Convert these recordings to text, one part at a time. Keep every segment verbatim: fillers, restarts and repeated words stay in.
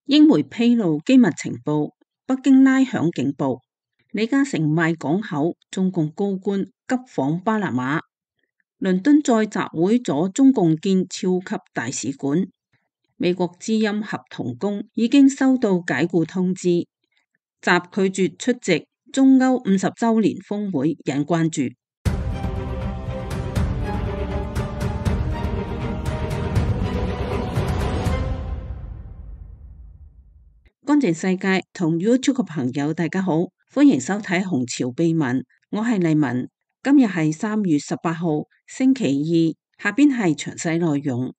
英媒披露機密情報，北京拉響警報。李嘉誠賣港口，中共高官急訪巴拿馬。倫敦再集會阻中共建超級大使館。美國之音合同工已經收到解雇通知。習拒絕出席中歐五十週年峰會，引關注。乾淨世界同 YouTube 嘅朋友大家好，歡迎收睇紅潮秘聞，我係麗文。今日係三月十八號星期二，下邊係詳細內容。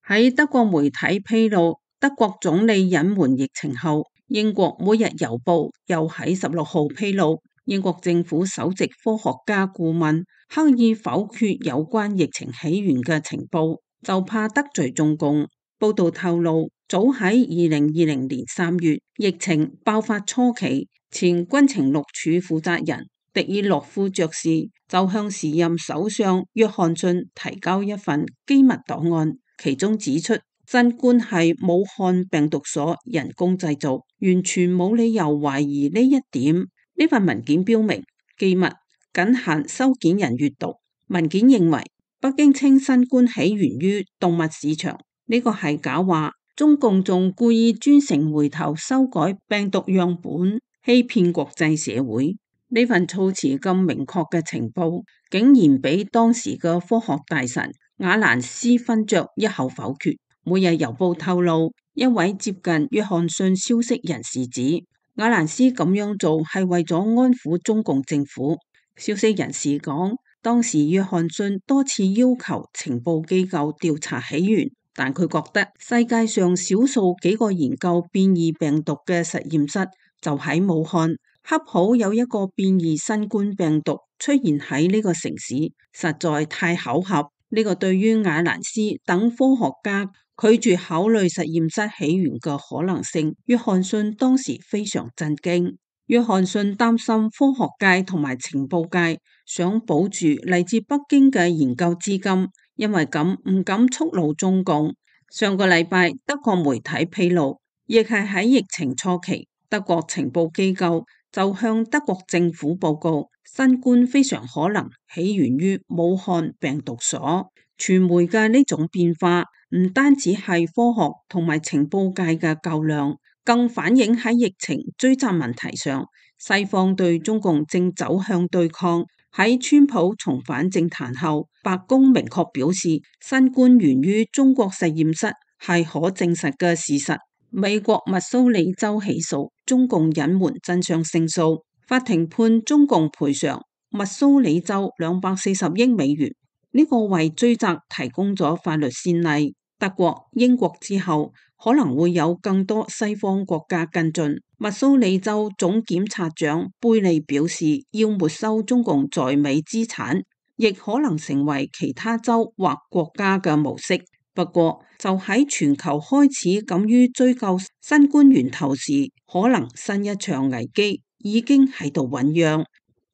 喺德國媒體披露德國總理隱瞞疫情後，英國每日郵報又喺十六號披露，英國政府首席科學家顧問刻意否決有關疫情起源嘅情報，就怕得罪中共。報道透露，早喺二零二零年三月疫情爆發初期，前軍情六處負責人迪爾洛夫爵士就向時任首相約翰遜提交一份機密檔案，其中指出新冠係武漢病毒所人工製造，完全冇理由懷疑呢一點。呢份文件標明機密，僅限收件人閱讀。文件認為北京稱新冠起源於動物市場，呢個係假話。中共仲故意專程回頭修改病毒樣本，欺騙國際社會。呢份措辭咁明確嘅情報，竟然俾當時嘅科學大臣瓦蘭斯勳爵一口否決。每日郵報透露，一位接近約翰遜消息人士指，瓦蘭斯咁樣做係為咗安撫中共政府。消息人士講，當時約翰遜多次要求情報機構調查起源，但佢覺得世界上少數幾個研究變異病毒嘅實驗室就喺武漢，恰好有一個變異新冠病毒出現喺呢個城市，實在太巧合。呢個對於瓦蘭斯等科學家拒絕考慮實驗室起源嘅可能性，約翰遜當時非常震驚。約翰遜擔心科學界同埋情報界想保住嚟自北京嘅研究資金，因為咁唔敢觸怒中共。上個禮拜德國媒體披露，亦係喺疫情初期，德國情報機構就向德國政府報告，新冠非常可能起源於武漢病毒所。傳媒嘅呢種變化唔單止係科學同埋情報界嘅較量，更反映喺疫情追責問題上，西方對中共正走向對抗。喺川普重返政壇後，白宮明確表示，新冠源於中國實驗室係可證實嘅事實。美國密蘇里州起訴中共隱瞞真相勝訴，法庭判中共賠償密蘇里州兩百四十億美元。呢個為追責提供咗法律先例。德國、英國之後，可能會有更多西方國家跟進。密蘇里州總檢察長貝利表示，要沒收中共在美資產，亦可能成為其他州或國家嘅模式。不過，就喺全球開始敢於追究新冠源頭時，可能新一場危機已經喺度醞釀。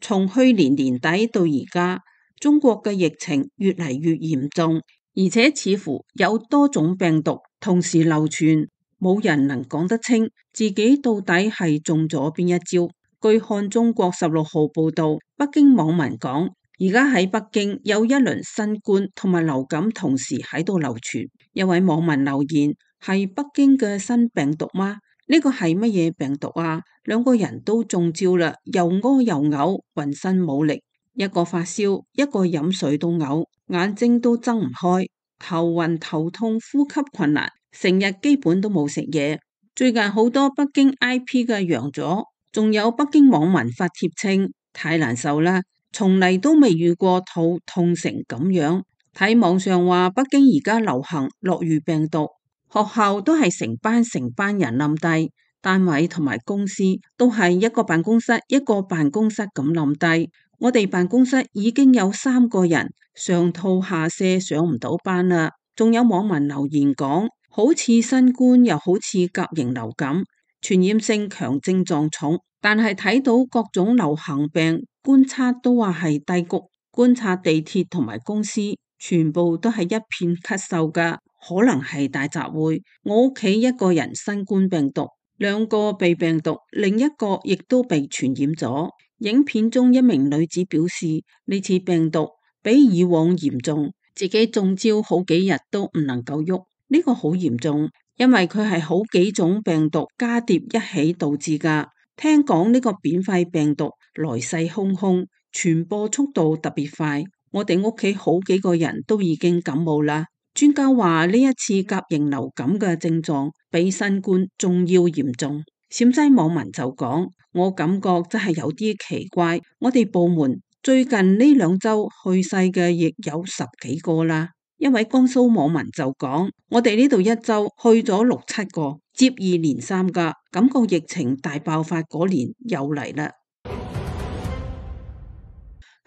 從去年年底到而家，中國嘅疫情越嚟越嚴重，而且似乎有多種病毒同時流傳。冇人能講得清自己到底係中咗邊一招。據看中國十六號報道，北京網民講，而家喺北京有一輪新冠同埋流感同時喺度流傳。一位網民留言：係北京嘅新病毒嗎？呢個係乜嘢病毒啊？兩個人都中招啦，又屙又嘔，渾身冇力，一個發燒，一個飲水都嘔，眼睛都睜唔開，頭暈頭痛，呼吸困難。成日基本都冇食嘢。最近好多北京 I P 嘅陽咗，仲有北京網民發帖稱太難受啦，從嚟都未遇過肚痛成咁樣。睇網上話北京而家流行諾如病毒，學校都係成班成班人冧低，單位同埋公司都係一個辦公室一個辦公室咁冧低。我哋辦公室已經有三個人上吐下瀉，上唔到班啦。仲有網民留言講，好似新冠又好似甲型流感，傳染性強，症狀重，但係睇到各種流行病觀察都話係低谷。觀察地鐵同埋公司全部都係一片咳嗽噶，可能係大集會。我屋企一個人新冠病毒，兩個被病毒，另一個亦都被傳染咗。影片中一名女子表示，呢次病毒比以往嚴重，自己中招好幾日都唔能夠喐。呢個好嚴重，因為佢係好幾種病毒加疊一起導致噶。聽講呢個變廢病毒來勢洶洶，傳播速度特別快。我哋屋企好幾個人都已經感冒啦。專家話呢一次甲型流感嘅症狀比新冠仲要嚴重。陝西網民就講，我感覺真係有啲奇怪，我哋部門最近呢兩周去世嘅亦有十幾個啦。一位江蘇網民就講，我哋呢度一周去咗六七個，接二連三噶，感覺疫情大爆發嗰年又嚟啦。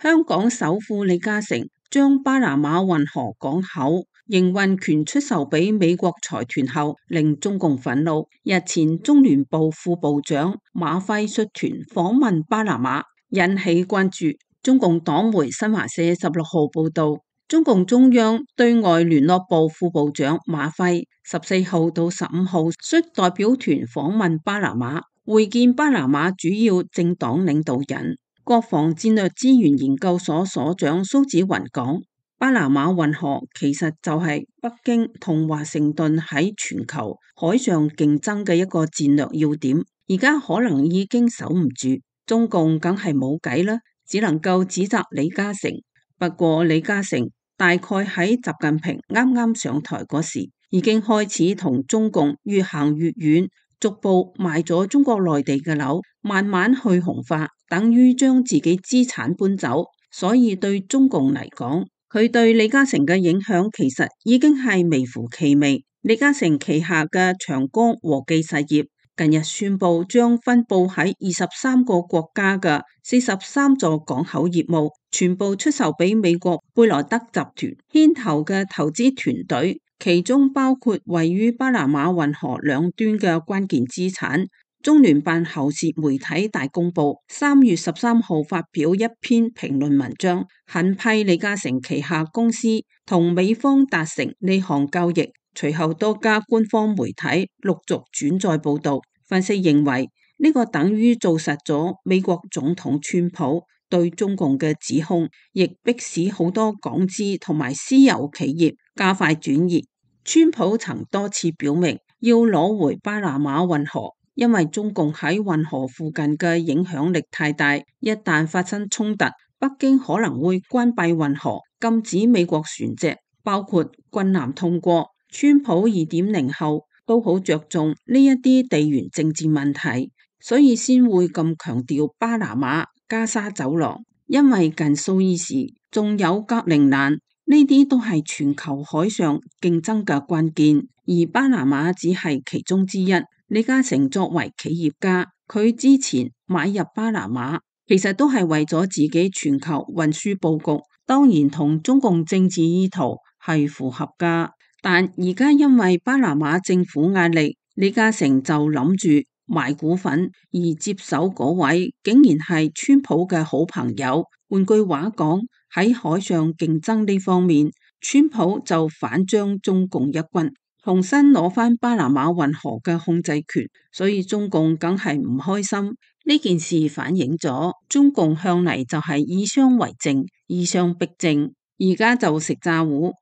香港首富李嘉誠將巴拿馬運河港口營運權出售俾美國財團後，令中共憤怒。日前中聯部副部長馬輝率團訪問巴拿馬，引起關注。中共黨媒新華社十六號報道，中共中央對外聯絡部副部長馬輝十四號到十五號率代表團訪問巴拿馬，會見巴拿馬主要政黨領導人。國防戰略資源研究所所長蘇紫雲講，巴拿馬運河其實就係北京同華盛頓喺全球海上競爭嘅一個戰略要點，而家可能已經守唔住，中共梗係冇計啦，只能夠指責李嘉誠。不過李嘉誠大概喺習近平啱啱上台嗰時，已經開始同中共越行越遠，逐步賣咗中國內地嘅樓，慢慢去紅化，等於將自己資產搬走。所以對中共嚟講，佢對李嘉誠嘅影響其實已經係微乎其微。李嘉誠旗下嘅長江和記實業近日宣布，將分佈喺二十三個國家嘅四十三座港口業務全部出售俾美國貝萊德集團牽頭嘅投資團隊，其中包括位於巴拿馬運河兩端嘅關鍵資產。中聯辦喉舌媒體大公報三月十三號發表一篇評論文章，狠批李嘉誠旗下公司同美方達成呢項交易。隨後多家官方媒體陸續轉載報道，分析認為呢個等於做實咗美國總統川普對中共嘅指控，亦迫使好多港資同埋私有企業加快轉移。川普曾多次表明要攞回巴拿馬運河，因為中共喺運河附近嘅影響力太大，一旦發生衝突，北京可能會關閉運河，禁止美國船隻包括軍艦通過。川普二點零後都好着重呢一啲地緣政治問題，所以先會咁強調巴拿馬、加沙走廊，因為近蘇伊士仲有格陵蘭，呢啲都係全球海上競爭嘅關鍵，而巴拿馬只係其中之一。李嘉誠作為企業家，佢之前買入巴拿馬，其實都係為咗自己全球運輸佈局，當然同中共政治意圖係符合噶。但而家因為巴拿馬政府壓力，李嘉誠就諗住賣股份，而接手嗰位竟然係川普嘅好朋友。換句話講，喺海上競爭呢方面，川普就反將中共一軍，重新攞翻巴拿馬運河嘅控制權，所以中共梗係唔開心。呢件事反映咗中共向嚟就係以商為政，以商逼政，而家就食詐糊。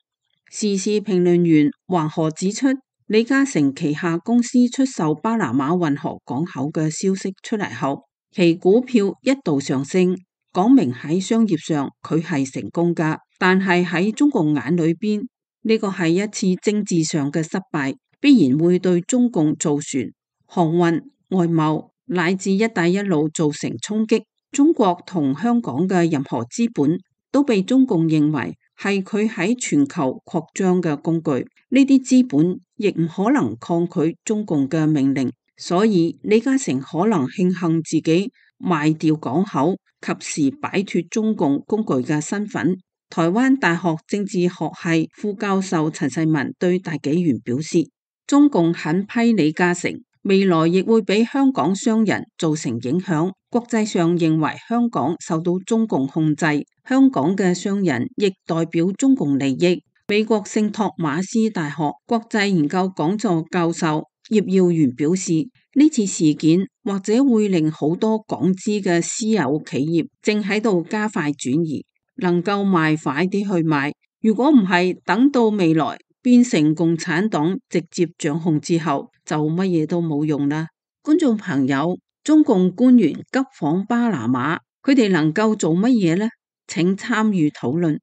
時事評論員黃河指出，李嘉誠旗下公司出售巴拿馬運河港口嘅消息出嚟後，其股票一度上升，講明喺商業上佢係成功噶。但係喺中共眼裏邊，呢個係一次政治上嘅失敗，必然會對中共造船、航運、外貿乃至一帶一路造成衝擊。中國同香港嘅任何資本都被中共認為係佢喺全球擴張嘅工具，呢啲資本亦唔可能抗拒中共嘅命令，所以李嘉誠可能慶幸自己賣掉港口，及時擺脫中共工具嘅身份。台灣大學政治學系副教授陳世文對大紀元表示，中共狠批李嘉誠，未來亦會俾香港商人造成影響。國際上認為香港受到中共控制，香港嘅商人亦代表中共利益。美國聖托馬斯大學國際研究講座教授葉耀元表示，呢次事件或者會令好多港資嘅私有企業正喺度加快轉移，能夠賣快啲去賣。如果唔係，等到未來變成共產黨直接掌控之後，就乜嘢都冇用啦。觀眾朋友，中共官員急訪巴拿馬，佢哋能夠做乜嘢呢？請參與討論。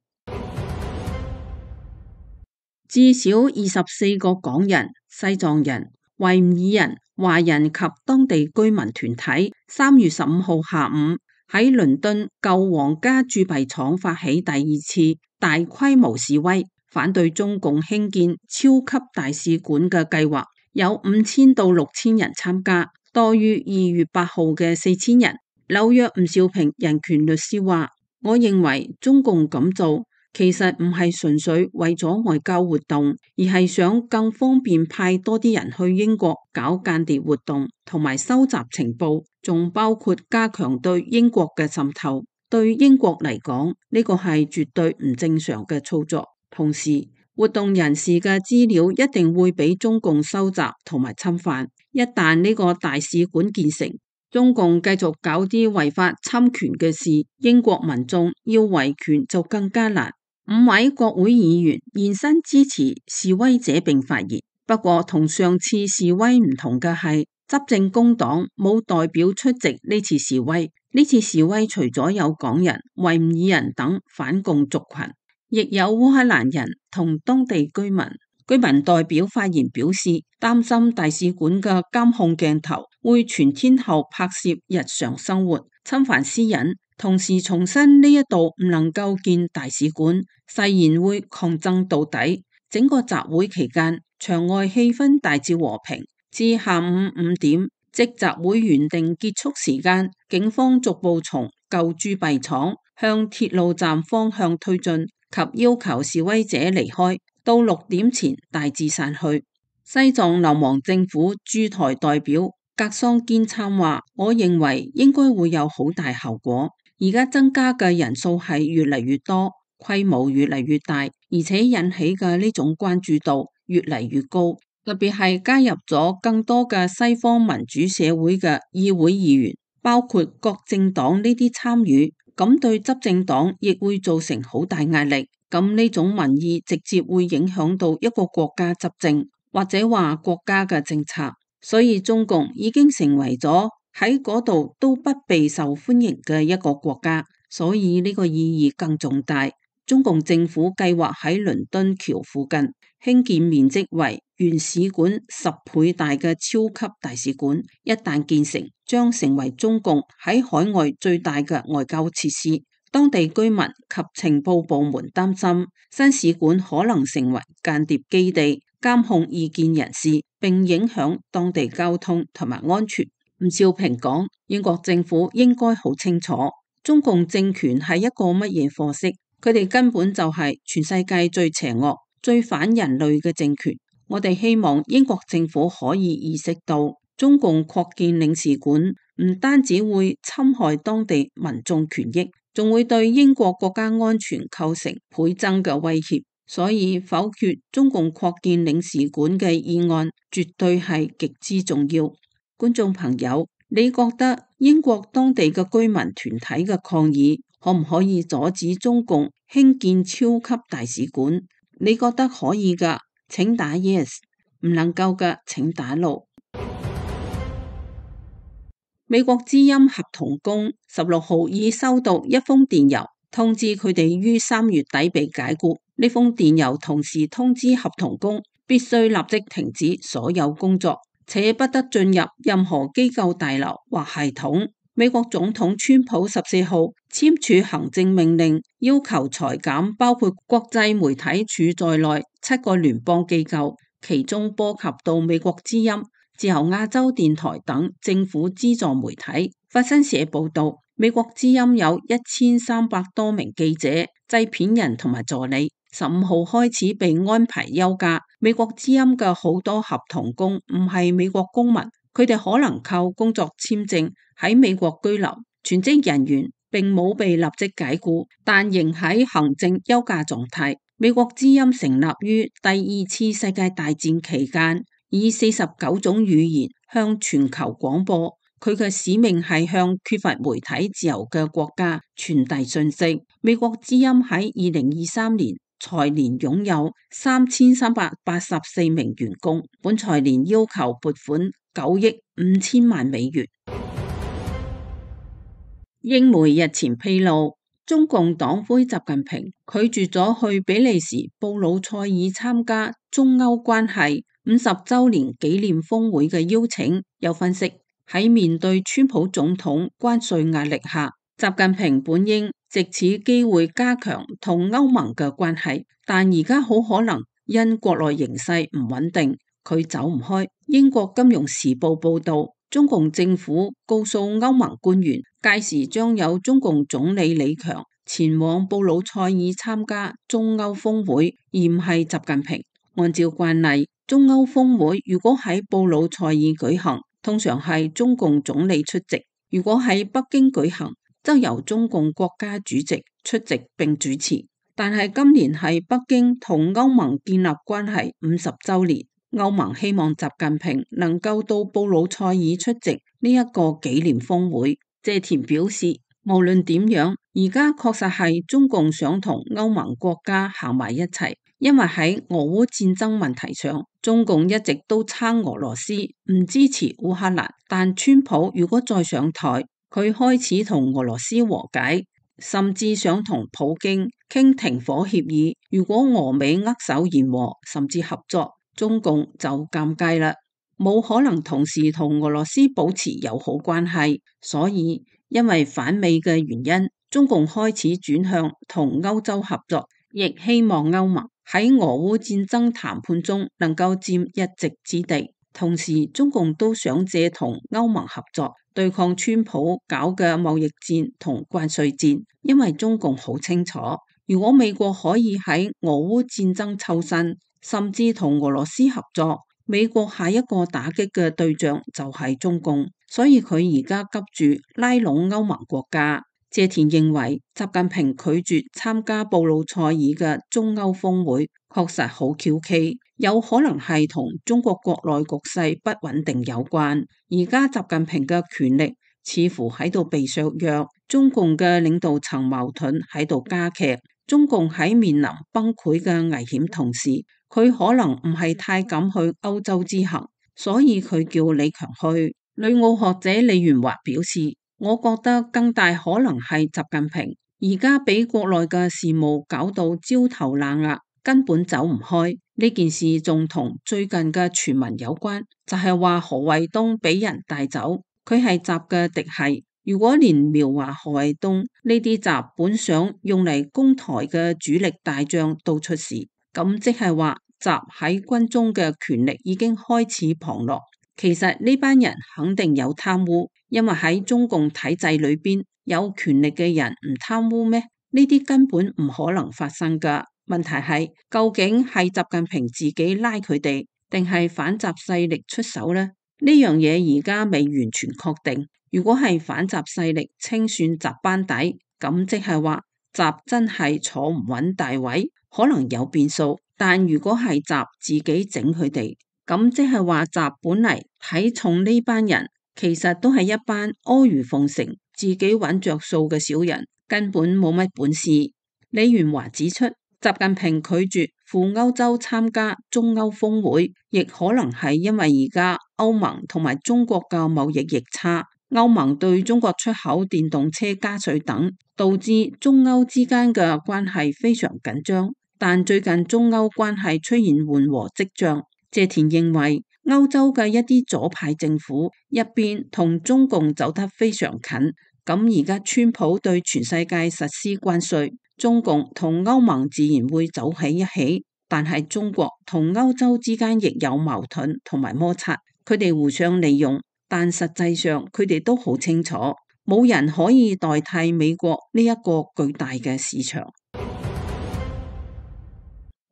至少二十四個港人、西藏人、維吾爾人、華人及當地居民團體，三月十五號下午喺倫敦舊皇家鑄幣廠發起第二次大規模示威，反對中共興建超級大使館嘅計劃，有五千到六千人參加，多於二月八號嘅四千人。紐約吳兆平人權律師話：我認為中共咁做，其實唔係純粹為咗外交活動，而係想更方便派多啲人去英國搞間諜活動，同埋收集情報，仲包括加強對英國嘅滲透。對英國嚟講，呢個係絕對唔正常嘅操作。同時，活動人士嘅資料一定會俾中共收集同埋侵犯。一旦呢個大使館建成，中共繼續搞啲違法侵權嘅事，英國民眾要維權就更加難。五位國會議員現身支持示威者並發言，不過同上次示威唔同嘅係，執政工黨冇代表出席呢次示威。呢次示威除咗有港人、維吾爾人等反共族群，亦有烏克蘭人同當地居民。居民代表發言表示，擔心大使館嘅監控鏡頭會全天候拍攝日常生活，侵犯私隱。同時重申呢一度唔能夠建大使館，誓言會抗爭到底。整個集會期間，場外氣氛大致和平，至下午五點，即集會原定結束時間，警方逐步從舊鑄幣廠向鐵路站方向推進，及要求示威者離開。到六點前大致散去。西藏流亡政府駐台代表格桑堅參話：我認為應該會有好大效果。而家增加嘅人數係越嚟越多，規模越嚟越大，而且引起嘅呢種關注度越嚟越高。特別係加入咗更多嘅西方民主社會嘅議會議員，包括各政黨呢啲參與，咁對執政黨亦會造成好大壓力。咁呢種民意直接會影響到一個國家執政，或者話國家嘅政策。所以中共已經成為咗喺嗰度都不被受歡迎嘅一個國家，所以呢個意義更重大。中共政府計劃喺倫敦橋附近興建面積為原使館十倍大嘅超級大使館，一旦建成，將成為中共喺海外最大嘅外交設施。當地居民及情報部門擔心，新使館可能成為間諜基地，監控異見人士，並影響當地交通同埋安全。吳兆平講，英國政府應該好清楚，中共政權係一個乜嘢貨色，佢哋根本就係全世界最邪惡、最反人類嘅政權。我哋希望英國政府可以意識到，中共擴建領事館唔單止會侵害當地民眾權益，仲會對英國國家安全構成倍增嘅威脅。所以否決中共擴建領事館嘅議案絕對係極之重要。觀眾朋友，你覺得英國當地嘅居民團體嘅抗議可唔可以阻止中共興建超級大使館？你覺得可以㗎，請打 yes； 唔能夠嘅，請打 no。美國之音合同工十六號已收到一封電郵，通知佢哋於三月底被解僱。呢封電郵同時通知合同工必須立即停止所有工作，且不得進入任何機構大樓或系統。美國總統川普十四號簽署行政命令，要求裁減包括國際媒體署在內七個聯邦機構，其中波及到美國之音、自由亞洲電台等政府資助媒體。法新社報道，美國之音有一千三百多名記者、製片人同埋助理，十五號開始被安排休假。美國之音嘅好多合同工唔係美國公民，佢哋可能靠工作簽證喺美國居留，全職人員並冇被立即解僱，但仍喺行政休假狀態。美國之音成立於第二次世界大戰期間，以四十九種語言向全球廣播。佢嘅使命係向缺乏媒體自由嘅國家傳遞訊息。美國之音喺二零二三年財年擁有三千三百八十四名員工，本財年要求撥款九億五千萬美元。英媒日前披露，中共黨魁習近平拒絕咗去比利時布魯塞爾參加中歐關係五十周年紀念峰會嘅邀請。有分析，喺面對川普總統關稅壓力下，習近平本應藉此機會加強同歐盟嘅關係，但而家好可能因國內形勢唔穩定，佢走唔開。英國金融時報報道，中共政府告訴歐盟官員，屆時將有中共總理李強前往布魯塞爾參加中歐峰會，而唔係習近平。按照慣例，中歐峰會如果喺布魯塞爾舉行，通常係中共總理出席；如果喺北京舉行，則由中共國家主席出席並主持。但係今年係北京同歐盟建立關係五十週年，歐盟希望習近平能夠到布魯塞爾出席呢一個紀念峰會。謝田表示，無論點樣，而家確實係中共想同歐盟國家行埋一齊，因為喺俄烏戰爭問題上，中共一直都撐俄羅斯，唔支持烏克蘭。但川普如果再上台，佢開始同俄羅斯和解，甚至想同普京傾停火協議。如果俄美握手言和，甚至合作，中共就尷尬啦，冇可能同時同俄羅斯保持友好關係。所以因為反美嘅原因，中共開始轉向同歐洲合作，亦希望歐盟喺俄烏戰爭談判中能夠佔一席之地。同時中共都想借同歐盟合作對抗川普搞嘅貿易戰同關稅戰，因為中共好清楚，如果美國可以喺俄烏戰爭抽身，甚至同俄羅斯合作，美國下一個打擊嘅對象就係中共，所以佢而家急住拉攏歐盟國家。謝田認為，習近平拒絕參加布魯塞爾嘅中歐峰會確實好蹊蹺，有可能係同中國國內局勢不穩定有關。而家習近平嘅權力似乎喺度被削弱，中共嘅領導層矛盾喺度加劇，中共喺面臨崩潰嘅危險同時，佢可能唔係太敢去歐洲之行，所以佢叫李強去。旅澳學者李元華表示，我覺得更大可能係習近平而家俾國內嘅事務搞到焦頭爛額，根本走唔開。呢件事仲同最近嘅傳聞有關，就係話何衛東俾人帶走，佢係習嘅嫡系。如果連描畫何衛東呢啲習本想用嚟攻台嘅主力大將都出事，咁即係話習喺軍中嘅權力已經開始旁落。其實呢班人肯定有貪污，因為喺中共體制裏邊有權力嘅人唔貪污咩？呢啲根本唔可能發生噶。問題係究竟係習近平自己拉佢哋，定係反習勢力出手呢？呢樣嘢而家未完全確定。如果係反習勢力清算習班底，咁即係話習真係坐唔穩大位，可能有變數。但如果係習自己整佢哋，咁即係話習本嚟睇重呢班人，其實都係一班阿諛奉承、自己揾着數嘅小人，根本冇乜本事。李元華指出，習近平拒絕赴歐洲參加中歐峰會，亦可能係因為而家歐盟同埋中國嘅貿易逆差，歐盟對中國出口電動車加稅等，導致中歐之間嘅關係非常緊張。但最近中歐關係出現緩和跡象。謝田認為，歐洲嘅一啲左派政府一邊同中共走得非常近，咁而家川普對全世界實施關稅，中共同歐盟自然會走喺一起。但係中國同歐洲之間亦有矛盾同埋摩擦，佢哋互相利用，但實際上佢哋都好清楚，冇人可以代替美國呢一個巨大嘅市場。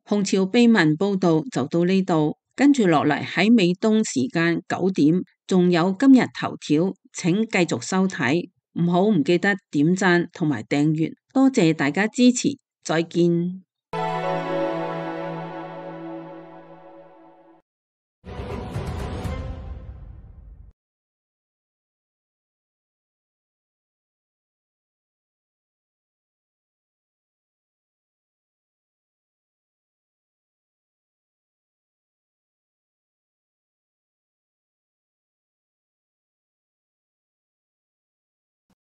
紅潮秘聞報道就到呢度。跟住落嚟喺美東時間九點仲有今日頭條，請繼續收睇，唔好唔記得點讚同埋訂閱，多謝大家支持，再見。